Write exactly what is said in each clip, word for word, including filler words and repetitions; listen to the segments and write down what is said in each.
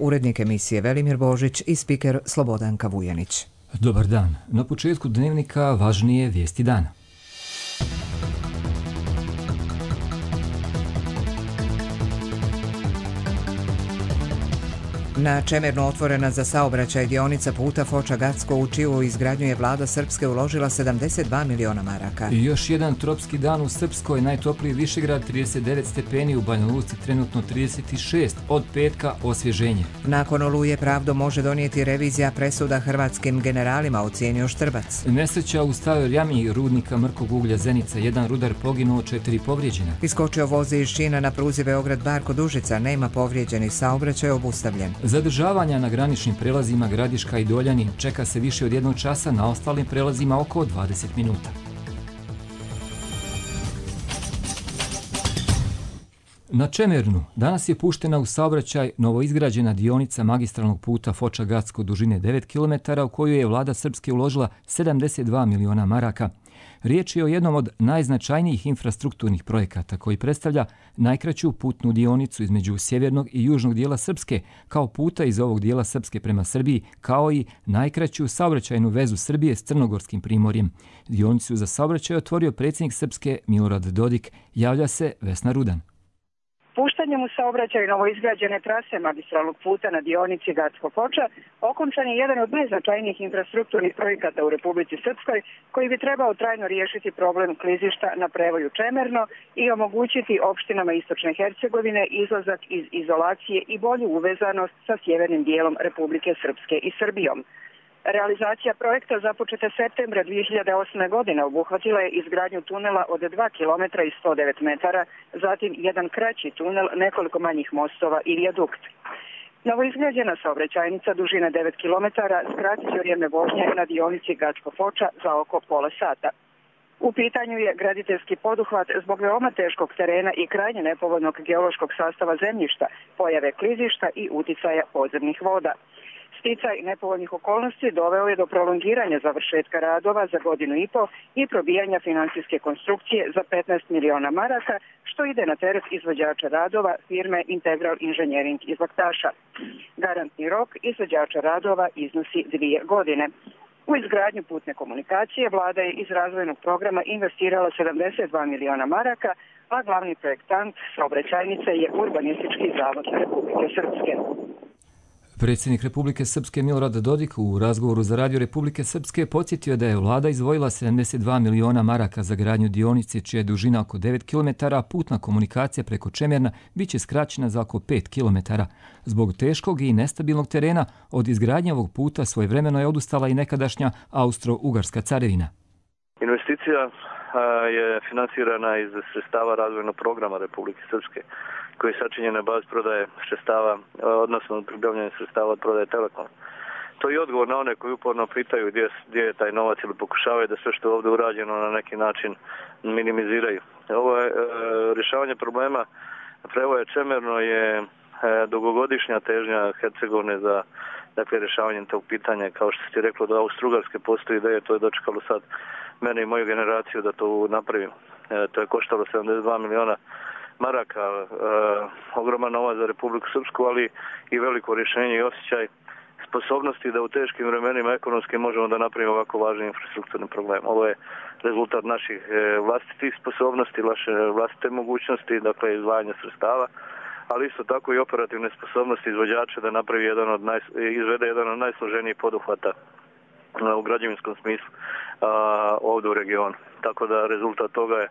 urednik emisije Velimir Božić i spiker Slobodanka Vujanić. Dobar dan. Na početku dnevnika važnije vijesti dana. Na Čemernu otvorena za saobraćaj dionica puta Foča-Gacko, u čiju izgradnju je vlada Srpske uložila sedamdeset dva miliona maraka. I još jedan tropski dan u Srpskoj, najtopliji Višegrad trideset devet stepeni, u Banja Luci trenutno trideset šest, od petka osvježenje. Nakon oluje pravdu može donijeti revizija presuda hrvatskim generalima, ocijenio Štrbac. Nesreća u staroj jami rudnika mrkog uglja Zenica, jedan rudar poginuo, četiri povrijeđena. Iskočio voz iz šina na pruzi Beograd-Bar kod Užica, nema povrijeđenih, saobraćaj obustavljen. Zadržavanja na graničnim prelazima Gradiška i Doljani čeka se više od jednog časa, na ostalim prelazima oko dvadeset minuta. Na Čemernu danas je puštena u saobraćaj novoizgrađena dionica magistralnog puta Foča-Gacko dužine devet kilometara, u koju je vlada Srpske uložila sedamdeset dva miliona maraka. Riječ je o jednom od najznačajnijih infrastrukturnih projekata koji predstavlja najkraću putnu dionicu između sjevernog i južnog dijela Srpske, kao puta iz ovog dijela Srpske prema Srbiji, kao i najkraću saobraćajnu vezu Srbije s Crnogorskim primorjem. Dionicu za saobraćaj otvorio predsjednik Srpske Milorad Dodik, javlja se Vesna Rudan. Puštanjem u saobraćaj novoizgrađene trase magistralnog puta na dionici Gacko-Foča okončan je jedan od najznačajnijih infrastrukturnih projekata u Republici Srpskoj, koji bi trebao trajno riješiti problem klizišta na prevoju Čemerno i omogućiti opštinama Istočne Hercegovine izlazak iz izolacije i bolju uvezanost sa sjevernim dijelom Republike Srpske i Srbijom. Realizacija projekta započeta septembra dvije hiljade osme. godine obuhvatila je izgradnju tunela od dva kilometra i sto devet metara, zatim jedan kraći tunel, nekoliko manjih mostova i vijadukt. Novoizgrađena saobraćajnica dužine devet kilometara skratit će vrijeme vožnje na dionici Gacko-Foča za oko pola sata. U pitanju je graditeljski poduhvat zbog veoma teškog terena i krajnje nepovoljnog geološkog sastava zemljišta, pojave klizišta i uticaja podzemnih voda. Sticaj nepovoljnih okolnosti doveo je do prolongiranja završetka radova za godinu i po i probijanja financijske konstrukcije za petnaest miliona maraka, što ide na teret izvođača radova firme Integral Engineering iz Laktaša. Garantni rok izvođača radova iznosi dvije godine. U izgradnju putne komunikacije vlada je iz razvojnog programa investirala sedamdeset dva miliona maraka, a glavni projektant saobraćajnice je Urbanistički zavod Republike Srpske. Predsjednik Republike Srpske Milorad Dodik u razgovoru za Radio Republike Srpske podsjetio da je vlada izdvojila sedamdeset dva miliona maraka za gradnju dionice, čija je dužina oko devet kilometara, a putna komunikacija preko Čemerna biće skraćena za oko pet kilometara. Zbog teškog i nestabilnog terena od izgradnje ovog puta svojevremeno je odustala i nekadašnja Austro-Ugarska carevina. Investicija je finansirana iz sredstava razvojnog programa Republike Srpske, koji je sačinjen na bazi prodaje sredstava, odnosno pribavljanje sredstava od prodaje Telekoma. To je odgovor na one koji uporno pitaju gdje, gdje je taj novac ili pokušavaju da sve što je ovdje urađeno na neki način minimiziraju. Ovo je e, rješavanje problema prevoja Čemerno je e, dugogodišnja težnja Hercegovine za dakle, rješavanje tog pitanja. Kao što ste rekli, da Austro-Ugarske postoji ideje, to je dočekalo sad mene i moju generaciju da to napravim. E, to je koštalo sedamdeset dva miliona maraka, e, ogroman novac za Republiku Srpsku, ali i veliko rješenje i osjećaj sposobnosti da u teškim vremenima ekonomski možemo da napravimo ovako važni infrastrukturni problem. Ovo je rezultat naših e, vlastitih sposobnosti, naše vlastite mogućnosti, dakle izdvajanja sredstava, ali isto tako i operativne sposobnosti izvođača da napravi jedan od naj, izvede jedan od najsloženijih poduhvata u građevinskom smislu a, ovdje u regionu. Tako da rezultat toga je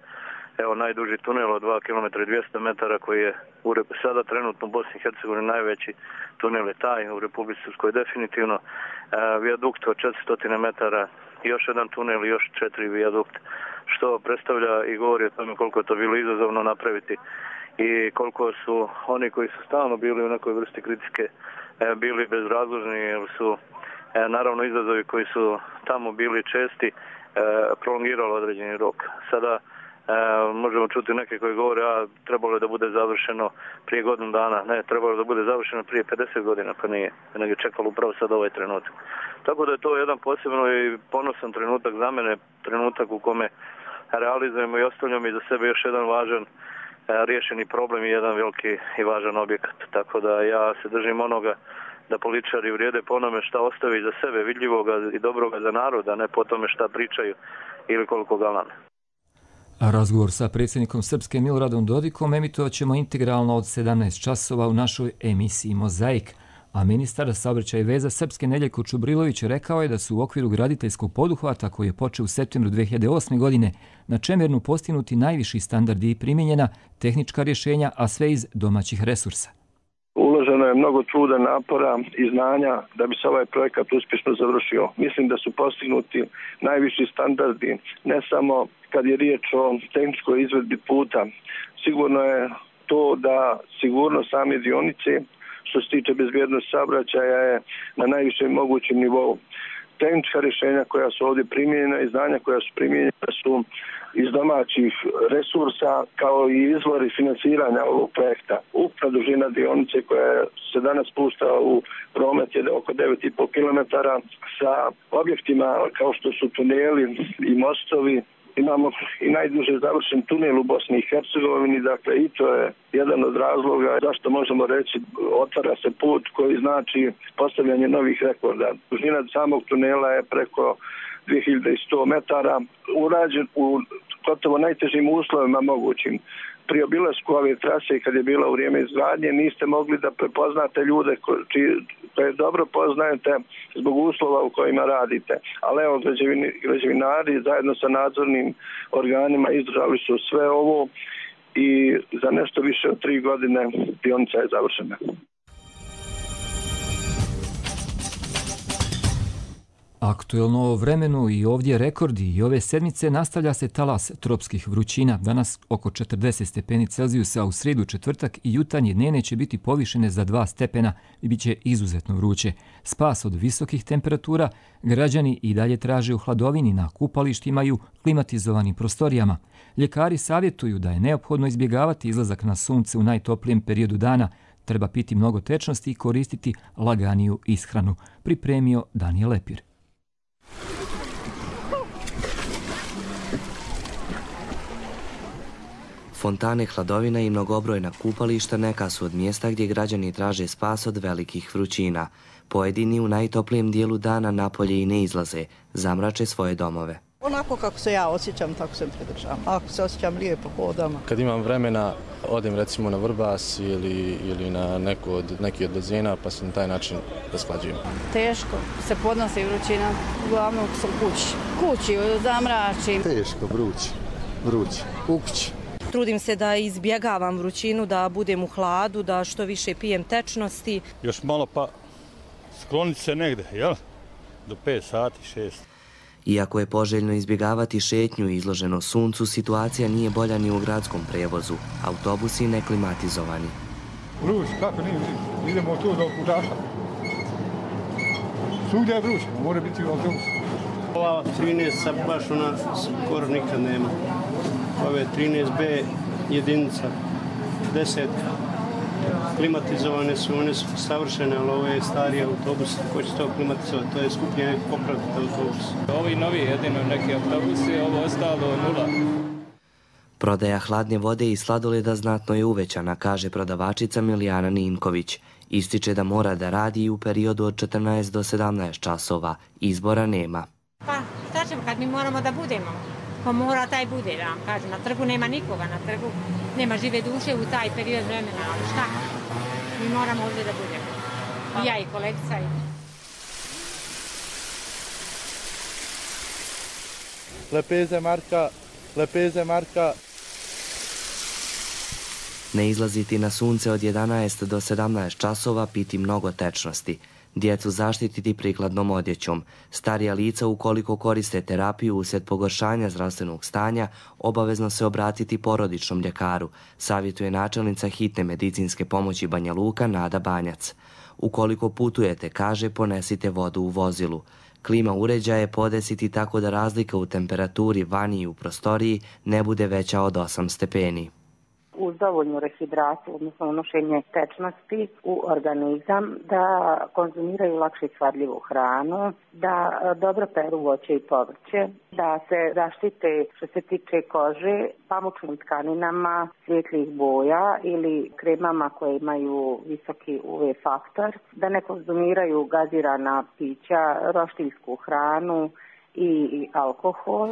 evo najduži tunel od dva kilometra i dvjesto metara koji je u, sada trenutno u Bosni i Hercegovini najveći tunel je taj, u Republici Srpskoj definitivno. A, vijadukt od četiristo metara, još jedan tunel i još četiri vijadukt, što predstavlja i govori o tome koliko je to bilo izazovno napraviti i koliko su oni koji su stalno bili u nekoj vrsti kritike e, bili bezrazložni, jer su e, naravno izazovi koji su tamo bili česti e, prolongirali određeni rok. Sada e, možemo čuti neke koji govore a trebalo je da bude završeno prije godinu dana. Ne, trebalo je da bude završeno prije pedeset godina, pa nije. Nego je čekalo upravo sad ovaj trenutak. Tako da je to jedan posebno i ponosan trenutak za mene, trenutak u kome realizujemo i ostavljamo iza sebe još jedan važan riješeni problem i jedan veliki i važan objekat. Tako da ja se držim onoga da političari vrijede po onome šta ostavi za sebe vidljivoga i dobroga za narod, a ne po tome šta pričaju ili koliko galame. A razgovor sa predsjednikom Srpske Miloradom Dodikom emitovat ćemo integralno od sedamnaest časova u našoj emisiji Mozaik. A ministar saobraćaja i veza Srpske Nedeljko Čubrilović rekao je da su u okviru graditeljskog poduhvata koji je počeo u septembru dve hiljade osme. godine na Čemernu postignuti najviši standardi i primijenjena tehnička rješenja, a sve iz domaćih resursa. Uloženo je mnogo truda, napora i znanja da bi se ovaj projekat uspješno završio. Mislim da su postignuti najviši standardi, ne samo kad je riječ o tehničkoj izvedbi puta. Sigurno je to da sigurno same dionice, što se tiče bezbjednosti saobraćaja, je na najvišem mogućem nivou. Tehnička rješenja koja su ovdje primijenjena i znanja koja su primijenjena su iz domaćih resursa, kao i izvori financiranja ovog projekta. Ukupna dužina dionice koja se danas pušta u promet je oko devet i pol kilometara sa objektima kao što su tuneli i mostovi. Imamo i najduže završen tunel u Bosni i Hercegovini, dakle i to je jedan od razloga zašto možemo reći otvara se put koji znači postavljanje novih rekorda. Dužina samog tunela je preko dvije hiljade sto metara, urađen u gotovo najtežim uslovima mogućim. Pri obilasku ove trase, kad je bila u vrijeme izgradnje, niste mogli da prepoznate ljude koje dobro poznajete zbog uslova u kojima radite. Ali evo, građevinari zajedno sa nadzornim organima izdržali su sve ovo i za nešto više od tri godine dionica je završena. Aktuelno o vremenu i ovdje rekordi i ove sedmice nastavlja se talas tropskih vrućina. Danas oko četrdeset stepeni Celzijusa, u srijedu, četvrtak i jutarnje dnevne će biti povišene za dva stepena i bit će izuzetno vruće. Spas od visokih temperatura građani i dalje traže u hladovini na kupalištima i u klimatizovanim prostorijama. Ljekari savjetuju da je neophodno izbjegavati izlazak na sunce u najtoplijem periodu dana. Treba piti mnogo tečnosti i koristiti laganiju ishranu. Pripremio Danijel Lepir. Fontane, hladovina i mnogobrojna kupališta neka su od mjesta gdje građani traže spas od velikih vrućina. Pojedini u najtoplijem dijelu dana napolje i ne izlaze, zamrače svoje domove. Onako kako se ja osjećam, tako se pridržavam. Ako se osjećam lijepo, hodam. Kad imam vremena, odem recimo na Vrbas ili, ili na neko od, neki od bazena, pa se na taj način rasklađujem. Teško se podnosi vrućina, uglavnom sam kući. Kući, zamračim. Teško, vruć, vruć, u kući. Trudim se da izbjegavam vrućinu, da budem u hladu, da što više pijem tečnosti. Još malo pa skloniti se negde, jel? Do pet sati, šest. Iako je poželjno izbjegavati šetnju i izloženo suncu, situacija nije bolja ni u gradskom prevozu. Autobusi neklimatizovani. Vruć, kako nije vruć? Idemo tu do Kužaša. Svugdje je vruć, mora biti u autobusu. Ova trinaest baš ona skoro nikad nema. Ove trinaest be jedinica, deset klimatizovane su, one su savršene, ali ove starije autobuse, ko će to klimatizovati, to je skuplje popraviti autobus. Ovi novi jedino neki autobusi, ovo ostalo nula. Prodaja hladne vode i sladoleda znatno je uvećana, kaže prodavačica Milijana Ninković. Ističe da mora da radi i u periodu od četrnaest do sedamnaest časova. Izbora nema. Pa šta ćemo kad mi moramo da budemo? Ko mora taj bude, da vam kažem. Na trgu nema nikoga, na trgu nema žive duše u taj period vremena, ali šta? Mi moramo ovdje da budemo. I ja i kolegica. I... Lepeze Marka, lepeze Marka. Ne izlaziti na sunce od jedanaest do sedamnaest časova, piti mnogo tečnosti. Djecu zaštititi prikladnom odjećom. Starija lica ukoliko koriste terapiju uslijed pogoršanja zdravstvenog stanja, obavezno se obratiti porodičnom ljekaru, savjetuje načelnica hitne medicinske pomoći Banja Luka Nada Banjac. Ukoliko putujete, kaže, ponesite vodu u vozilu. Klima uređaje podesiti tako da razlika u temperaturi vani i u prostoriji ne bude veća od osam stepeni. uz dovoljnu rehidraciju, odnosno unošenje tečnosti u organizam, da konzumiraju lakše svadljivu hranu, da dobro peru voće i povrće, da se zaštite što se tiče kože pamučnim tkaninama svjetlih boja ili kremama koje imaju visoki U V faktor, da ne konzumiraju gazirana pića, roštiljsku hranu i alkohol.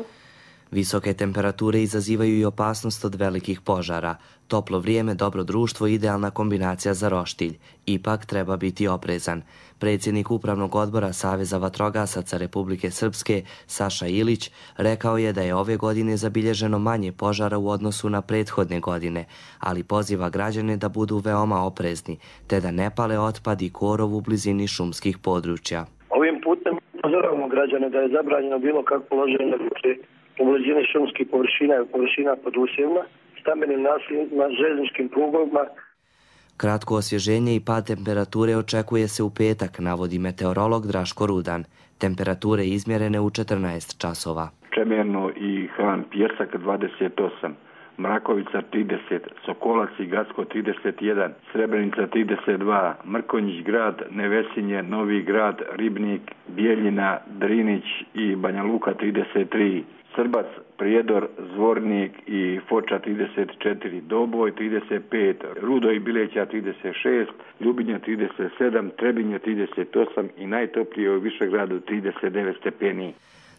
Visoke temperature izazivaju i opasnost od velikih požara. Toplo vrijeme, dobro društvo i idealna kombinacija za roštilj. Ipak treba biti oprezan. Predsjednik Upravnog odbora Saveza vatrogasaca Republike Srpske, Saša Ilić, rekao je da je ove godine zabilježeno manje požara u odnosu na prethodne godine, ali poziva građane da budu veoma oprezni, te da ne pale otpad i korov u blizini šumskih područja. Ovim putem upozoravamo građane da je zabranjeno bilo kako loženje u blizini šumskih površina i površina pod usjevima, stambenim naseljima, željezničkim prugovima. Kratko osvježenje i pad temperature očekuje se u petak, navodi meteorolog Draško Rudan. Temperature izmjerene u četrnaest časova. Čemerno i Han Pjesak dvadeset osam, Mrakovica trideset, Sokolac i Gacko trideset jedan, Srebrenica trideset dva, Mrkonjić grad, Nevesinje, Novi grad, Ribnik, Bijeljina, Drinić i Banja Luka trideset tri, Srbac, Prijedor, Zvornik i Foča trideset četiri, Doboj trideset pet, Rudo i Bileća trideset šest, Ljubinja trideset sedam, Trebinje trideset osam i najtoplije u Višegradu trideset devet stepeni.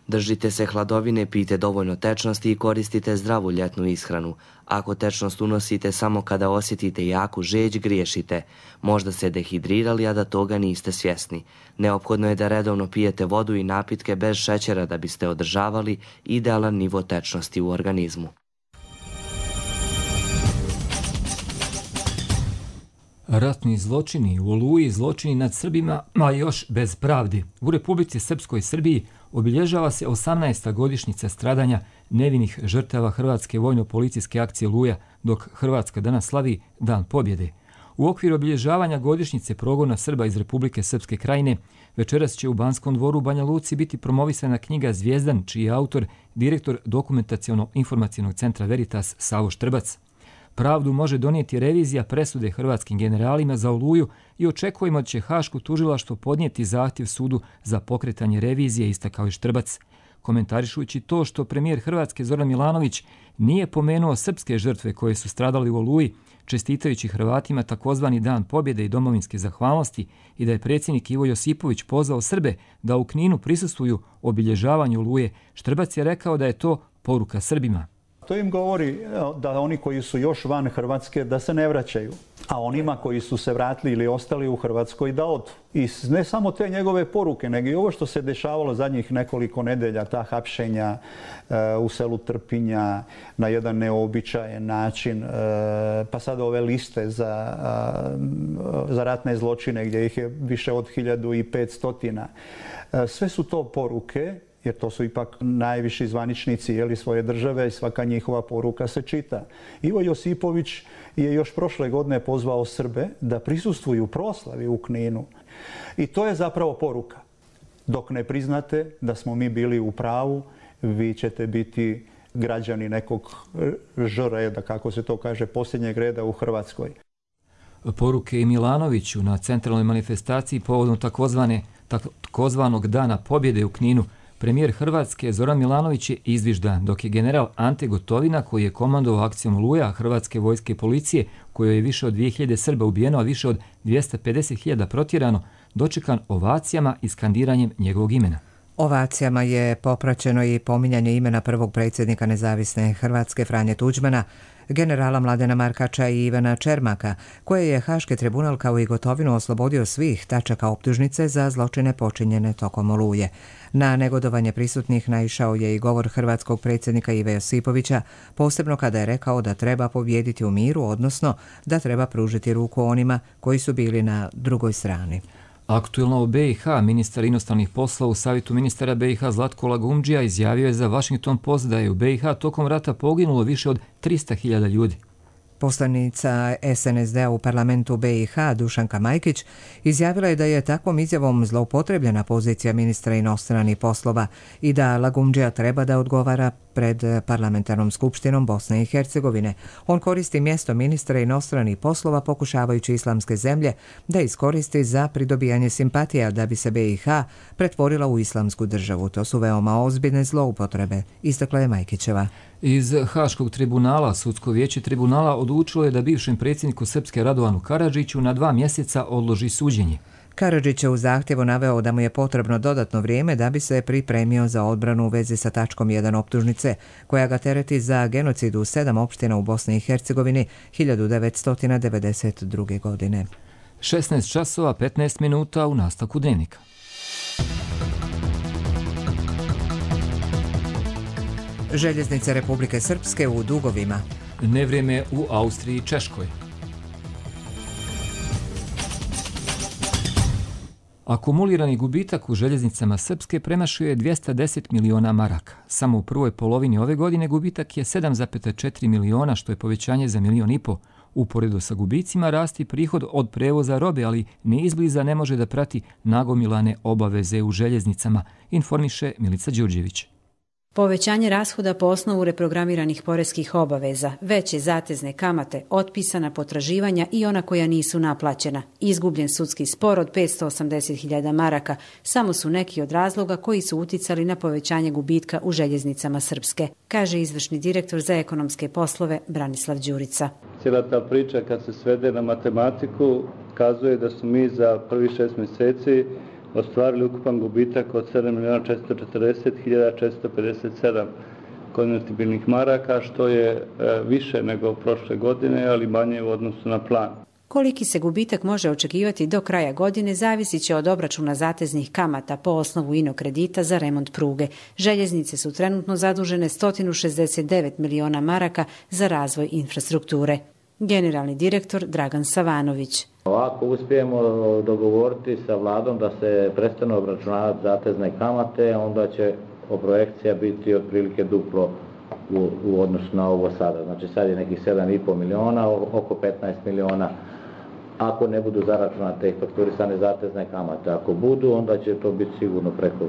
Držite se hladovine, pijte dovoljno tečnosti i koristite zdravu ljetnu ishranu. Ako tečnost unosite samo kada osjetite jaku žeđ, griješite. Možda se dehidrirali, a da toga niste svjesni. Neophodno je da redovno pijete vodu i napitke bez šećera da biste održavali idealan nivo tečnosti u organizmu. Ratni zločini u Oluji, zločini nad Srbima, a još bez pravdi. U Republici Srpskoj Srbiji obilježava se osamnaesta godišnjica stradanja nevinih žrtava Hrvatske vojno-policijske akcije Oluja, dok Hrvatska danas slavi Dan pobjede. U okviru obilježavanja godišnjice progona Srba iz Republike Srpske Krajine, večeras će u Banskom dvoru u Banja Luci biti promovisana knjiga Zvijezdan, čiji je autor direktor Dokumentaciono-informacionog centra Veritas Savo Štrbac. Pravdu može donijeti revizija presude hrvatskim generalima za Oluju i očekujemo da će Haško tužilaštvo podnijeti zahtjev sudu za pokretanje revizije, istakao je Štrbac. Komentarišujući to što premijer Hrvatske Zoran Milanović nije pomenuo srpske žrtve koje su stradali u Oluji, čestitajući Hrvatima takozvani Dan pobjede i domovinske zahvalnosti, i da je predsjednik Ivo Josipović pozvao Srbe da u Kninu prisustvuju obilježavanju Oluje, Štrbac je rekao da je to poruka Srbima. To im govori da oni koji su još van Hrvatske da se ne vraćaju, a onima koji su se vratili ili ostali u Hrvatskoj da odu. I ne samo te njegove poruke, nego i ovo što se dešavalo zadnjih nekoliko nedelja, ta hapšenja u selu Trpinja na jedan neobičajen način, pa sad ove liste za, za ratne zločine gdje ih je više od hiljadu i petstotina. Sve su to poruke, jer to su ipak najviši zvaničnici jeli, svoje države i svaka njihova poruka se čita. Ivo Josipović je još prošle godine pozvao Srbe da prisustvuju proslavi u Kninu. I to je zapravo poruka. Dok ne priznate da smo mi bili u pravu, vi ćete biti građani nekog ž reda, kako se to kaže, posljednjeg reda u Hrvatskoj. Poruke i Milanoviću na centralnoj manifestaciji povodom takozvane, takozvanog Dana pobjede u Kninu premijer Hrvatske Zoran Milanović je izviždan, dok je general Ante Gotovina, koji je komandovao akcijom Oluja Hrvatske vojske i policije, kojoj je više od dvije hiljade Srba ubijeno, a više od dvjesto pedeset hiljada protjerano, dočekan ovacijama i skandiranjem njegovog imena. Ovacijama je popraćeno i pominjanje imena prvog predsjednika nezavisne Hrvatske Franje Tuđmana, generala Mladena Markača i Ivana Čermaka, koje je Haški tribunal kao i Gotovinu oslobodio svih tačaka optužnice za zločine počinjene tokom Oluje. Na negodovanje prisutnih naišao je i govor hrvatskog predsjednika Ive Josipovića, posebno kada je rekao da treba pobijediti u miru, odnosno da treba pružiti ruku onima koji su bili na drugoj strani. Aktuelno u be i ha ministar inostranih poslova u savjetu ministara be i ha Zlatko Lagumdžija izjavio je za Washington Post da je u be i ha tokom rata poginulo više od trista hiljada ljudi. Poslanica es en es de-a u parlamentu be i ha Dušanka Majkić izjavila je da je takvom izjavom zloupotrebljena pozicija ministra inostranih poslova i da Lagumdžija treba da odgovara pred Parlamentarnom skupštinom Bosne i Hercegovine. On koristi mjesto ministra inostranih poslova pokušavajući islamske zemlje da iskoristi za pridobijanje simpatija da bi se B i H pretvorila u islamsku državu. To su veoma ozbiljne zloupotrebe, istakla je Majkićeva. Iz Haškog tribunala Sudsko vijeće tribunala odlučilo je da bivšem predsjedniku Srpske Radovanu Karadžiću na dva mjeseca odloži suđenje. Karadžić je u zahtjevu naveo da mu je potrebno dodatno vrijeme da bi se pripremio za odbranu u vezi sa tačkom jedan optužnice, koja ga tereti za genocid u sedam opština u Bosni i Hercegovini hiljadu devetsto devedeset druge. godine. šesnaest časova petnaest minuta u nastavku Dnevnika. Željeznice Republike Srpske u dugovima. Nevrijeme u Austriji i Češkoj. Akumulirani gubitak u željeznicama Srpske premašuje dvjesto deset miliona maraka. Samo u prvoj polovini ove godine gubitak je sedam zarez četiri miliona, što je povećanje za milion i po. Uporedo sa gubicima rasti prihod od prevoza robe, ali ni izbliza ne može da prati nagomilane obaveze u željeznicama, informiše Milica Đurđević. Povećanje rashoda po osnovu reprogramiranih poreskih obaveza, veće zatezne kamate, otpisana potraživanja i ona koja nisu naplaćena, izgubljen sudski spor od petsto osamdeset hiljada maraka, samo su neki od razloga koji su uticali na povećanje gubitka u željeznicama Srpske, kaže izvršni direktor za ekonomske poslove Branislav Đurica. Cijela ta priča kad se svede na matematiku kazuje da su mi za prvi šest mjeseci ostvarili ukupan gubitak od sedam miliona četiristo četrdeset hiljada četiristo pedeset sedam konvertibilnih maraka, što je više nego prošle godine, ali manje u odnosu na plan. Koliki se gubitak može očekivati do kraja godine zavisit će od obračuna zateznih kamata po osnovu ino kredita za remont pruge. Željeznice su trenutno zadužene sto šezdeset devet miliona maraka za razvoj infrastrukture. Generalni direktor Dragan Savanović. Ako uspijemo dogovoriti sa vladom da se prestane obračunavati zatezne kamate, onda će projekcija biti otprilike duplo u, u odnosu na ovo sada. Znači sad je nekih sedam zarez pet miliona, oko petnaest miliona. Ako ne budu zaračunate i fakturisane zatezne kamate, ako budu, onda će to biti sigurno preko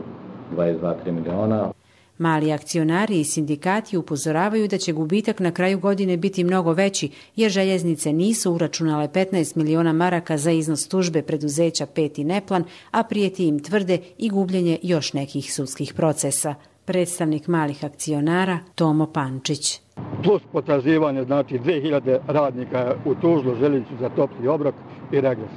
dvadeset dva do trideset miliona. Mali akcionari i sindikati upozoravaju da će gubitak na kraju godine biti mnogo veći, jer željeznice nisu uračunale petnaest miliona maraka za iznos tužbe preduzeća Pet i Neplan, a prijeti im tvrde i gubljenje još nekih sudskih procesa. Predstavnik malih akcionara Tomo Pančić. Plus potraživanje, znači dvije hiljade radnika u tužlu željeznicu za topli obrok i regres.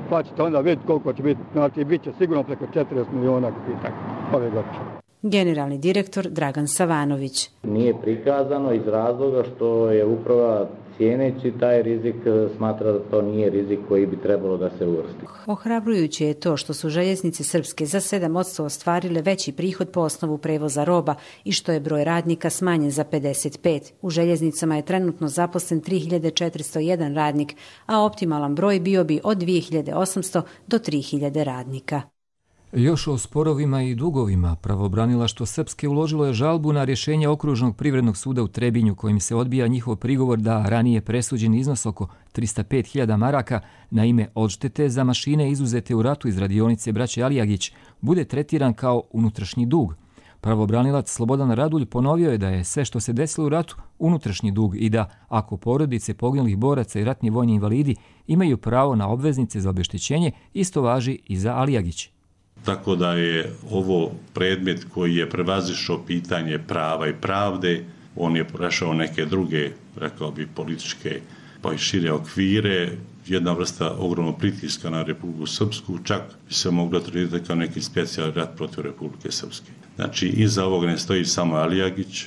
Pa ćete onda vidjeti koliko će biti, znači bit će sigurno preko četrdeset miliona gubitak ove godine. Generalni direktor Dragan Savanović. Nije prikazano iz razloga što je uprava cijeneći taj rizik smatra da to nije rizik koji bi trebalo da se uvrsti. Ohrabrujuće je to što su željeznice Srpske za sedam posto ostvarile veći prihod po osnovu prevoza roba i što je broj radnika smanjen za pedeset pet. U željeznicama je trenutno zaposlen tri hiljade četiristo jedan radnik, a optimalan broj bio bi od dvije hiljade osamsto do tri hiljade radnika. Još o sporovima i dugovima. Pravobranilaštvo Srpske uložilo je žalbu na rješenje Okružnog privrednog suda u Trebinju, kojim se odbija njihov prigovor da ranije presuđen iznos oko tristo pet hiljada maraka na ime odštete za mašine izuzete u ratu iz radionice braće Alijagić bude tretiran kao unutrašnji dug. Pravobranilac Slobodan Radulj ponovio je da je sve što se desilo u ratu unutrašnji dug i da, ako porodice poginulih boraca i ratni vojni invalidi imaju pravo na obveznice za obeštećenje, isto važi i za Alijagić. Tako da je ovo predmet koji je prevazišao pitanje prava i pravde, on je prešao neke druge, rekao bi, političke pa i šire okvire, jedna vrsta ogromnog pritiska na Republiku Srpsku, čak bi se moglo tretirati kao neki specijalni rat protiv Republike Srpske. Znači, iza ovog ne stoji samo Alijagić,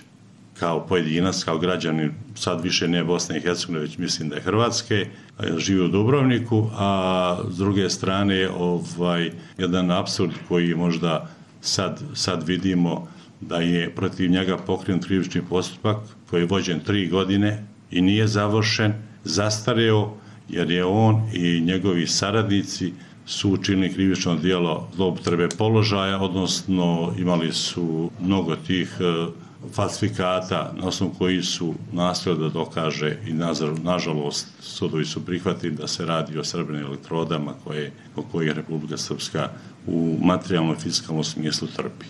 kao pojedinac, kao građanin, sad više ne Bosne i Hercegovine, već mislim da je Hrvatske, živi u Dubrovniku, a s druge strane ovaj, jedan apsurd koji možda sad, sad vidimo da je protiv njega pokrenut krivični postupak koji je vođen tri godine i nije završen, zastareo, jer je on i njegovi saradnici su učinili krivično djelo zloupotrebe položaja, odnosno imali su mnogo tih falsifikata na osnovu koji su nastojali da dokaže i nažalost sudovi su prihvatili da se radi o srebrnim elektrodama koje, o kojih Republika Srpska u materijalnom i fiskalnom smislu trpi.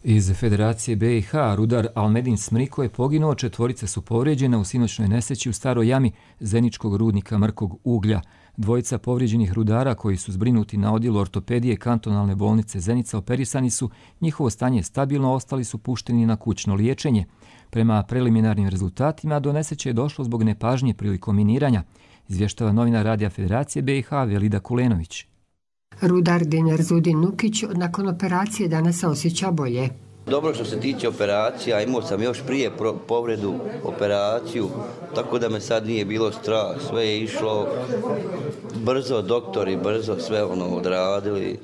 Iz Federacije B i H rudar Almedin Smriko je poginuo, četvorica su povrijeđena u sinoćnoj nesreći u Staroj jami zeničkog rudnika mrkog uglja. Dvojica povrijeđenih rudara koji su zbrinuti na odjelu ortopedije kantonalne bolnice Zenica operisani su, njihovo stanje je stabilno, ostali su pušteni na kućno liječenje. Prema preliminarnim rezultatima do nesreće je došlo zbog nepažnje prilikom miniranja, izvještava novinar Radija Federacije B i H Velida Kulenović. Rudar Dinerzudin Nukić nakon operacije danas se osjeća bolje. Dobro što se tiče operacija, imao sam još prije povredu operaciju, tako da me sad nije bilo strah, sve je išlo brzo, doktori brzo sve ono odradili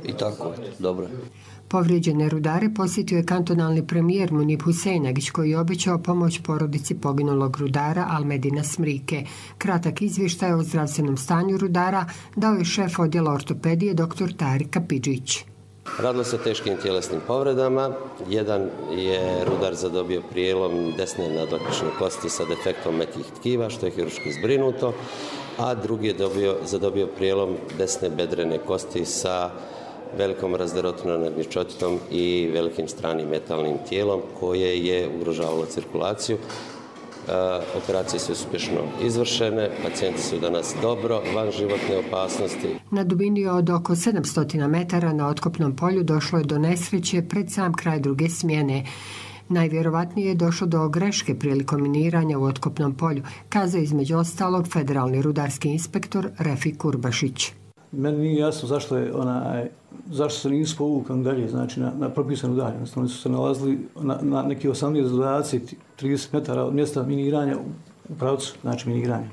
i tako, dobro. Povrijeđene rudare posjetio je kantonalni premijer Munib Husejnagić koji je obećao pomoć porodici poginulog rudara Almedina Smrike. Kratak izvještaj o zdravstvenom stanju rudara dao je šef odjela ortopedije dr. Tarik Kapidžić. Radilo se o teškim tjelesnim povredama. Jedan je rudar zadobio prijelom desne nadoklične kosti sa defektom mekih tkiva, što je hirurški zbrinuto, a drugi je dobio, zadobio prijelom desne bedrene kosti sa velikom razderotinom nagnječotinom i velikim stranim metalnim tijelom koje je ugrožavalo cirkulaciju. Operacije su uspješno izvršene, pacijenti su danas dobro, van životne opasnosti. Na dubini od oko sedamsto metara na otkopnom polju došlo je do nesreće pred sam kraj druge smjene. Najvjerovatnije je došlo do greške prilikom miniranja u otkopnom polju, kazao između ostalog federalni rudarski inspektor Refik Kurbašić. Meni nije jasno zašto je onaj, zašto se nisu povukli dalje, znači na, na propisanu dalje. Oni su se nalazili na, na neki osamnaest do dvadeset trideset metara od mjesta miniranja u pravcu, znači miniranja.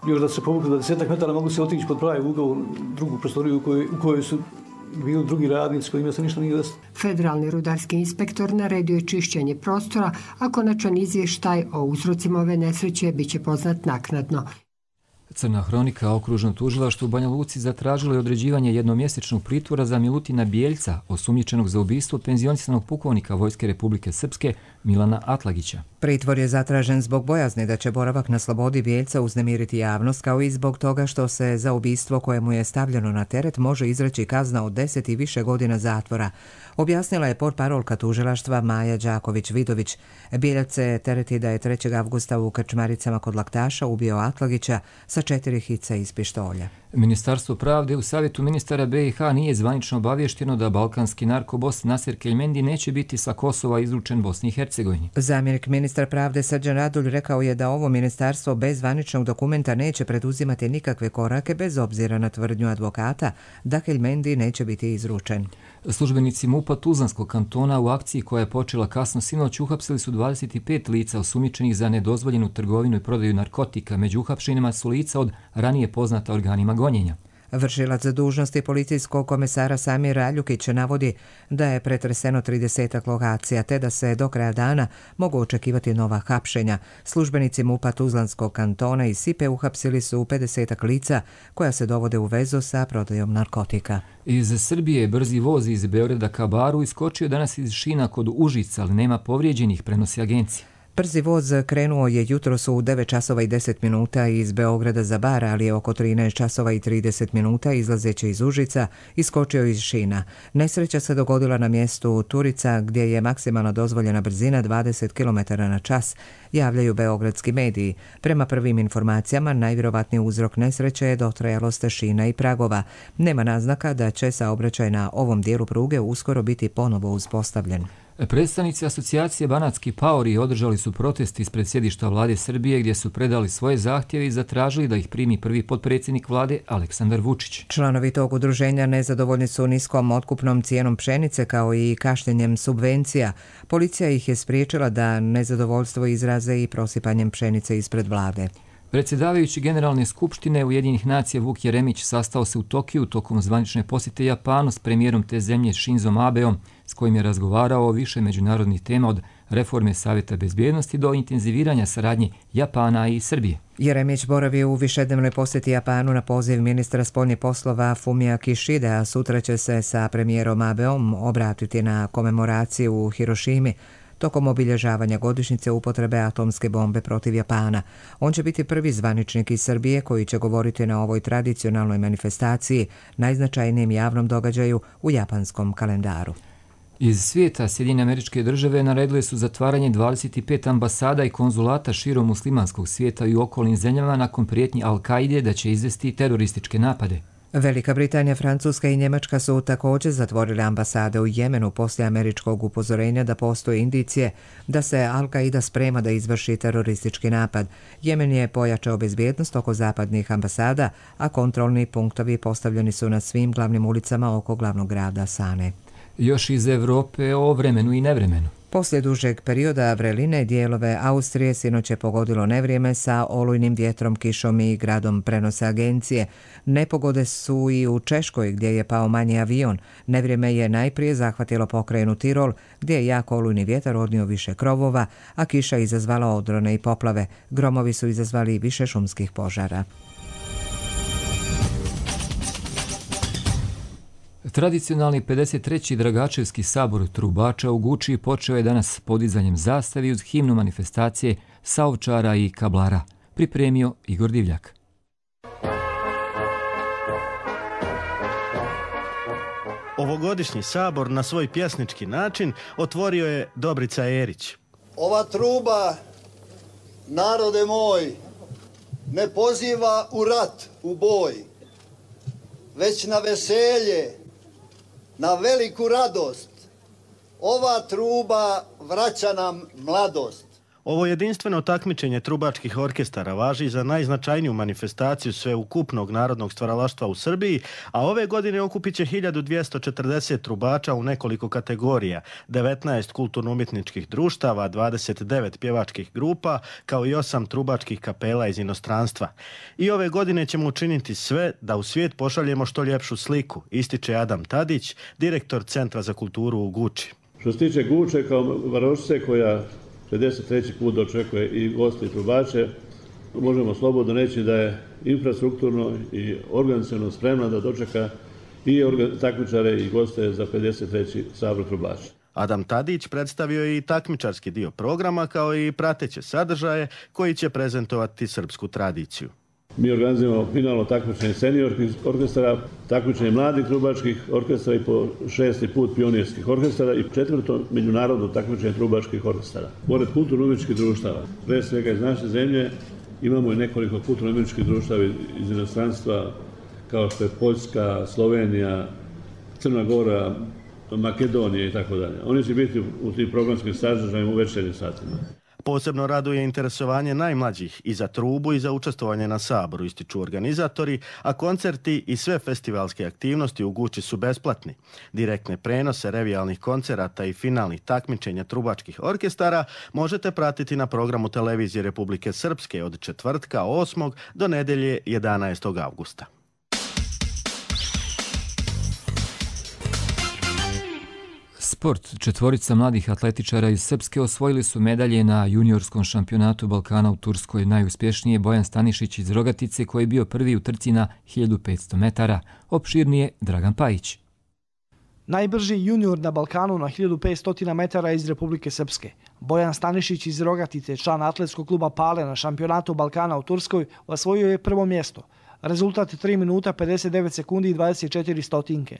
Još da se povukli dvadeset metara mogu se otići pod pravi ugao u drugu prostoriju u kojoj, u kojoj su bili drugi radnici kojima se ništa nije desilo. Federalni rudarski inspektor naredio je čišćenje prostora, a konačan izvještaj o uzrocima ove nesreće bit će poznat naknadno. Crna hronika okružno tužilaštvo u Banja Luci zatražilo je određivanje jednomjesečnog pritvora za Milutina Bijeljca, osumnjičenog za ubistvo penzionisanog pukovnika Vojske Republike Srpske Milana Atlagića. Pritvor je zatražen zbog bojazni da će boravak na slobodi Bijeljca uznemiriti javnost, kao i zbog toga što se za ubistvo koje mu je stavljeno na teret može izreći kazna od deset i više godina zatvora. Objasnila je portparolka tužilaštva Maja Đaković-Vidović. Bijeljac se tereti da je trećeg avgusta u Krčmaricama kod Laktaša ubio Atlagića sa četiri hica iz pištolja. Ministarstvo pravde u savjetu ministara B i H nije zvanično obavješteno da balkanski narkobos Nasir Keljmendi neće biti sa Kosova izručen Bosni i Hercegovini. Zamjenik ministra pravde Srđan Radulj rekao je da ovo ministarstvo bez zvaničnog dokumenta neće preduzimati nikakve korake bez obzira na tvrdnju advokata da Keljmendi neće biti izručen. Službenici MUP-a Tuzlanskog kantona u akciji koja je počela kasno sinoć uhapsili su dvadeset pet lica osumnjičenih za nedozvoljenu trgovinu i prodaju narkotika. Među uhapšenima su lica od ranije poznata organima gonjenja. Vršilac dužnosti policijskog komesara Samir Aljukić navodi da je pretreseno tridesetak lokacija, te da se do kraja dana mogu očekivati nova hapšenja. Službenici MUP-a Tuzlanskog kantona i Sipe uhapsili su pedesetak lica koja se dovode u vezu sa prodajom narkotika. Iz Srbije brzi voz iz Beograda ka Baru iskočio danas iz šina kod Užica, ali nema povrijeđenih, prenosi agencija. Brzi voz krenuo je jutros u devet časova i deset minuta iz Beograda za Bar, ali je oko trinaest časova i trideset minuta izlazeći iz Užica iskočio iz šina. Nesreća se dogodila na mjestu Turica gdje je maksimalna dozvoljena brzina dvadeset kilometara na čas, javljaju beogradski mediji. Prema prvim informacijama, najvjerovatniji uzrok nesreće je dotrajalost šina i pragova. Nema naznaka da će saobraćaj na ovom dijelu pruge uskoro biti ponovo uspostavljen. Predstavnici asocijacije Banatski paori održali su protest ispred sjedišta vlade Srbije gdje su predali svoje zahtjeve i zatražili da ih primi prvi potpredsjednik vlade Aleksandar Vučić. Članovi tog udruženja nezadovoljni su niskom otkupnom cijenom pšenice kao i kašnjenjem subvencija. Policija ih je spriječila da nezadovoljstvo izraze i prosipanjem pšenice ispred vlade. Predsjedavajući Generalne skupštine Ujedinjenih nacija Vuk Jeremić sastao se u Tokiju tokom zvanične posjete Japanu s premijerom te zemlje Shinzom Abeom, s kojim je razgovarao o više međunarodnih tema od reforme Savjeta bezbjednosti do intenziviranja saradnje Japana i Srbije. Jeremić boravi u višednevnoj posjeti Japanu na poziv ministra spoljnih poslova Fumia Kishide, a sutra će se sa premijerom Abeom obratiti na komemoraciju u Hirošimi tokom obilježavanja godišnjice upotrebe atomske bombe protiv Japana. On će biti prvi zvaničnik iz Srbije koji će govoriti na ovoj tradicionalnoj manifestaciji, najznačajnijem javnom događaju u japanskom kalendaru. Iz svijeta Sjedinjene Američke Države naredile su zatvaranje dvadeset pet ambasada i konzulata širom muslimanskog svijeta i u okolnim zemljama nakon prijetnji Al-Kaide da će izvesti terorističke napade. Velika Britanija, Francuska i Njemačka su također zatvorile ambasade u Jemenu poslije američkog upozorenja da postoje indicije da se Al-Kaida sprema da izvrši teroristički napad. Jemen je pojačao bezbjednost oko zapadnih ambasada, a kontrolni punktovi postavljeni su na svim glavnim ulicama oko glavnog grada Sane. Još iz Evrope o vremenu i nevremenu. Poslije dužeg perioda vreline dijelove Austrije sinoć je pogodilo nevrijeme sa olujnim vjetrom, kišom i gradom, prenose agencije. Nepogode su i u Češkoj gdje je pao manji avion. Nevrijeme je najprije zahvatilo pokrajinu Tirol gdje je jak olujni vjetar odnio više krovova, a kiša izazvala odrone i poplave. Gromovi su izazvali više šumskih požara. Tradicionalni pedeset treći Dragačevski sabor trubača u Guči počeo je danas podizanjem zastavi uz himnu manifestacije saovčara i kablara. Pripremio Igor Divljak. Ovogodišnji sabor na svoj pjesnički način otvorio je Dobrica Erić. Ova truba, narode moj, ne poziva u rat, u boj, već na veselje, na veliku radost. Ova truba vraća nam mladost. Ovo jedinstveno takmičenje trubačkih orkestara važi za najznačajniju manifestaciju sveukupnog narodnog stvaralaštva u Srbiji, a ove godine okupit će hiljadu dvjesto četrdeset trubača u nekoliko kategorija, devetnaest kulturno-umjetničkih društava, dvadeset devet pjevačkih grupa, kao i osam trubačkih kapela iz inostranstva. I ove godine ćemo učiniti sve da u svijet pošaljemo što ljepšu sliku, ističe Adam Tadić, direktor Centra za kulturu u Guči. Što se tiče Guče kao varošice koja pedeset treći put dočekuje i goste i trubače, možemo slobodno reći da je infrastrukturno i organizaciono spremna da dočeka i takmičare i goste za pedeset treći sabor trubača. Adam Tadić predstavio je i takmičarski dio programa kao i prateće sadržaje koji će prezentovati srpsku tradiciju. Mi organizujemo finalno takmičenje seniorskih orkestara, takmičenje mladih trubačkih orkestara i po šesti put pionirskih orkestara i četvrto međunarodno takmičenje trubačkih orkestara. Pored kulturno-umjetničkih društava, pre svega iz naše zemlje, imamo i nekoliko kulturno-umjetničkih društava iz inostranstva kao što je Poljska, Slovenija, Crna Gora, Makedonija i tako dalje. Oni će biti u tim programskim sadržajima u večernjim satima. Posebno raduje interesovanje najmlađih i za trubu i za učestvovanje na saboru, ističu organizatori, a koncerti i sve festivalske aktivnosti u Guči su besplatni. Direktne prenose revijalnih koncerata i finalnih takmičenja trubačkih orkestara možete pratiti na programu televizije Republike Srpske od četvrtka osmog do nedelje jedanaestog avgusta. Sport. Četvorica mladih atletičara iz Srpske osvojili su medalje na juniorskom šampionatu Balkana u Turskoj. Najuspješnije Bojan Stanišić iz Rogatice koji je bio prvi u trci na hiljadu petsto metara. Opširnije Dragan Pajić. Najbrži junior na Balkanu na hiljadu petsto metara iz Republike Srpske. Bojan Stanišić iz Rogatice, član atletskog kluba Pale na šampionatu Balkana u Turskoj, osvojio je prvo mjesto. Rezultat tri minuta pedeset devet sekundi i dvadeset četiri stotinke.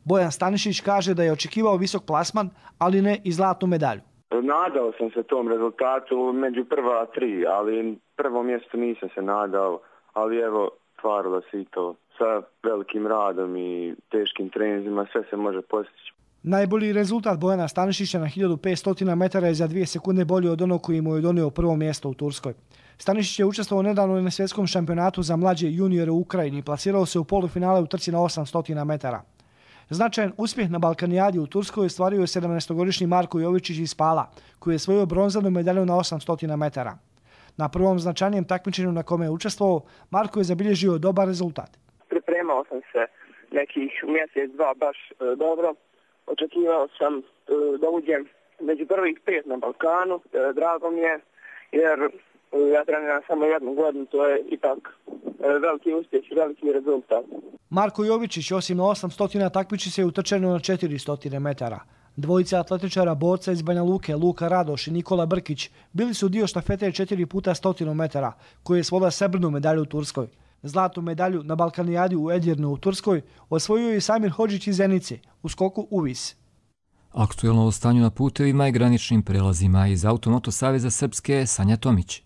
Bojan Stanišić kaže da je očekivao visok plasman, ali ne i zlatnu medalju. Nadao sam se tom rezultatu među prva tri, ali prvo mjesto nisam se nadao, ali evo, stvarilo se i to. Sa velikim radom i teškim treninzima sve se može postići. Najbolji rezultat Bojana Stanišića na hiljadu petsto metara je za dvije sekunde bolji od onog koji mu je donio prvo mjesto u Turskoj. Stanišić je učestvovao nedavno na svjetskom šampionatu za mlađe juniore u Ukrajini i plasirao se u polufinale u trci na osamsto metara. Značajan uspjeh na Balkanijadi u Turskoj ostvario je sedamnaestogodišnji Marko Jovičić iz Pala, koji je osvojio bronzanu medalju na osamsto metara. Na prvom značajnijem takmičenju na kome je učestvovao, Marko je zabilježio dobar rezultat. Pripremao sam se nekih mjesec, dva baš e, dobro. Očekivao sam e, da uđem među prvih pet na Balkanu. E, drago mi je jer e, ja treniram samo jednu godinu, to je ipak e, veliki uspjeh i veliki rezultat. Marko Jovičić osim na osamsto takmiči se u trčanju na četiristo metara. Dvojica atletičara borca iz Banja Luke, Luka Radoš i Nikola Brkić, bili su dio štafete četiri puta sto metara, koji je osvojila srebrnu medalju u Turskoj. Zlatnu medalju na Balkanijadi u Edirnu u Turskoj osvojio je Samir Hodžić iz Zenice u skoku uvis. Aktuelno o stanju na putevima i graničnim prelazima iz Automoto Saveza Srpske Sanja Tomić.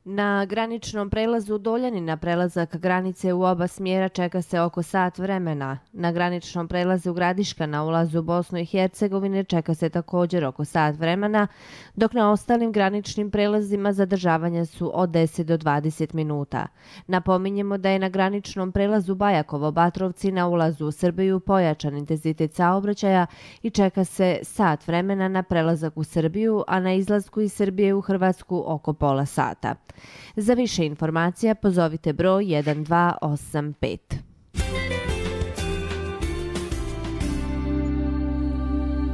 Na graničnom prelazu Doljani na prelazak granice u oba smjera čeka se oko sat vremena. Na graničnom prelazu Gradiška na ulazu u Bosnu i Hercegovine čeka se također oko sat vremena, dok na ostalim graničnim prelazima zadržavanja su od deset do dvadeset minuta. Napominjemo da je na graničnom prelazu Bajakovo-Batrovci na ulazu u Srbiju pojačan intenzitet saobraćaja i čeka se sat vremena na prelazak u Srbiju, a na izlasku iz Srbije u Hrvatsku oko pola sata. Za više informacija pozovite broj jedan dva osam pet.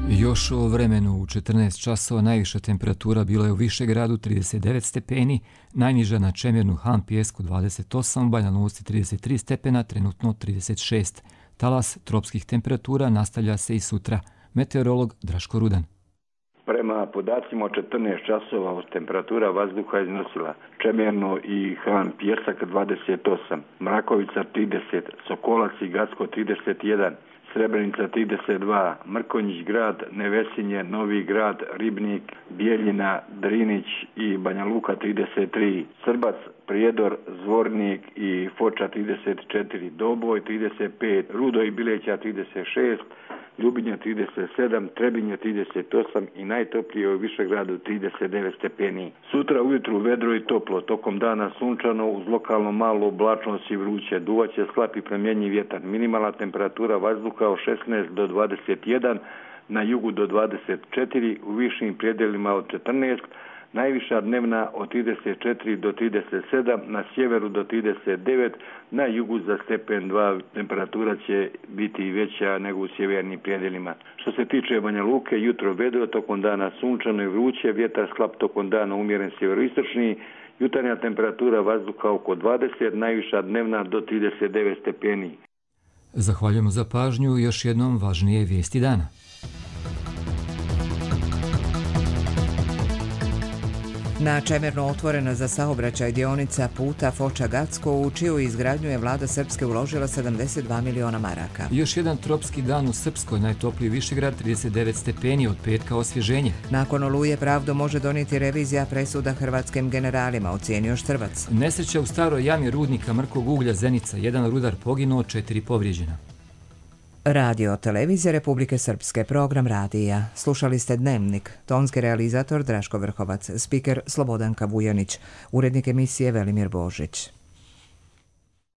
Još o vremenu u četrnaest časova najviša temperatura bila je u Višegradu trideset devet stepeni, najniža na Čemernu Han Pijesku dvadeset osam, u Banja Luci trideset tri stepena, trenutno trideset šest. Talas tropskih temperatura nastavlja se i sutra. Meteorolog Draško Rudan. Prema podacima od četrnaest časova temperatura vazduha iznosila Čemerno i Han Pijesak dvadeset osam, Mrakovica trideset, Sokolac i Gacko trideset jedan, Srebrenica trideset dva, Mrkonjić Grad, Nevesinje, Novi Grad, Ribnik, Bijeljina, Drinić i Banja Luka trideset tri, Srbac, Prijedor, Zvornik i Foča trideset četiri, Doboj trideset pet, Rudo i Bileća trideset šest, Ljubinja trideset sedam, Trebinje trideset osam i najtoplije u Višegradu trideset devet stepeni. Sutra ujutru vedro i toplo, tokom dana sunčano, uz lokalno malo oblačnost i vruće. Duvaće slab i promjenjiv vjetar. Minimalna temperatura vazduha od šesnaest do dvadeset jedan, na jugu do dvadeset četiri, u višim predjelima od četrnaest, najviša dnevna od trideset četiri do trideset sedam, na sjeveru do trideset devet, na jugu za stepen dva temperatura će biti veća nego u sjevernim predjelima. Što se tiče Banja Luke, jutro vedro, tokom dana sunčano i vruće, vjetar slab, tokom dana umjeren sjeveroistočni, jutarnja temperatura vazduha oko dvadeset, najviša dnevna do trideset devet stepeni. Zahvaljujemo za pažnju i još jednom važnije vijesti dana. Na Čemerno otvorena za saobraćaj dionica puta Foča-Gacko, u čiju izgradnju je vlada Srpske uložila sedamdeset dva miliona maraka. Još jedan tropski dan u Srpskoj, najtopliji Višegrad trideset devet stepeni, od petka osvježenje. Nakon oluje pravdu može donijeti revizija presuda hrvatskim generalima, ocijenio Štrbac. Nesreća u staroj jami rudnika mrkog uglja Zenica, jedan rudar poginuo, četiri povrijeđena. Radio Televizija Republike Srpske, program radija. Slušali ste Dnevnik, tonski realizator Draško Vrhovac, spiker Slobodanka Vujanić, urednik emisije Velimir Božić.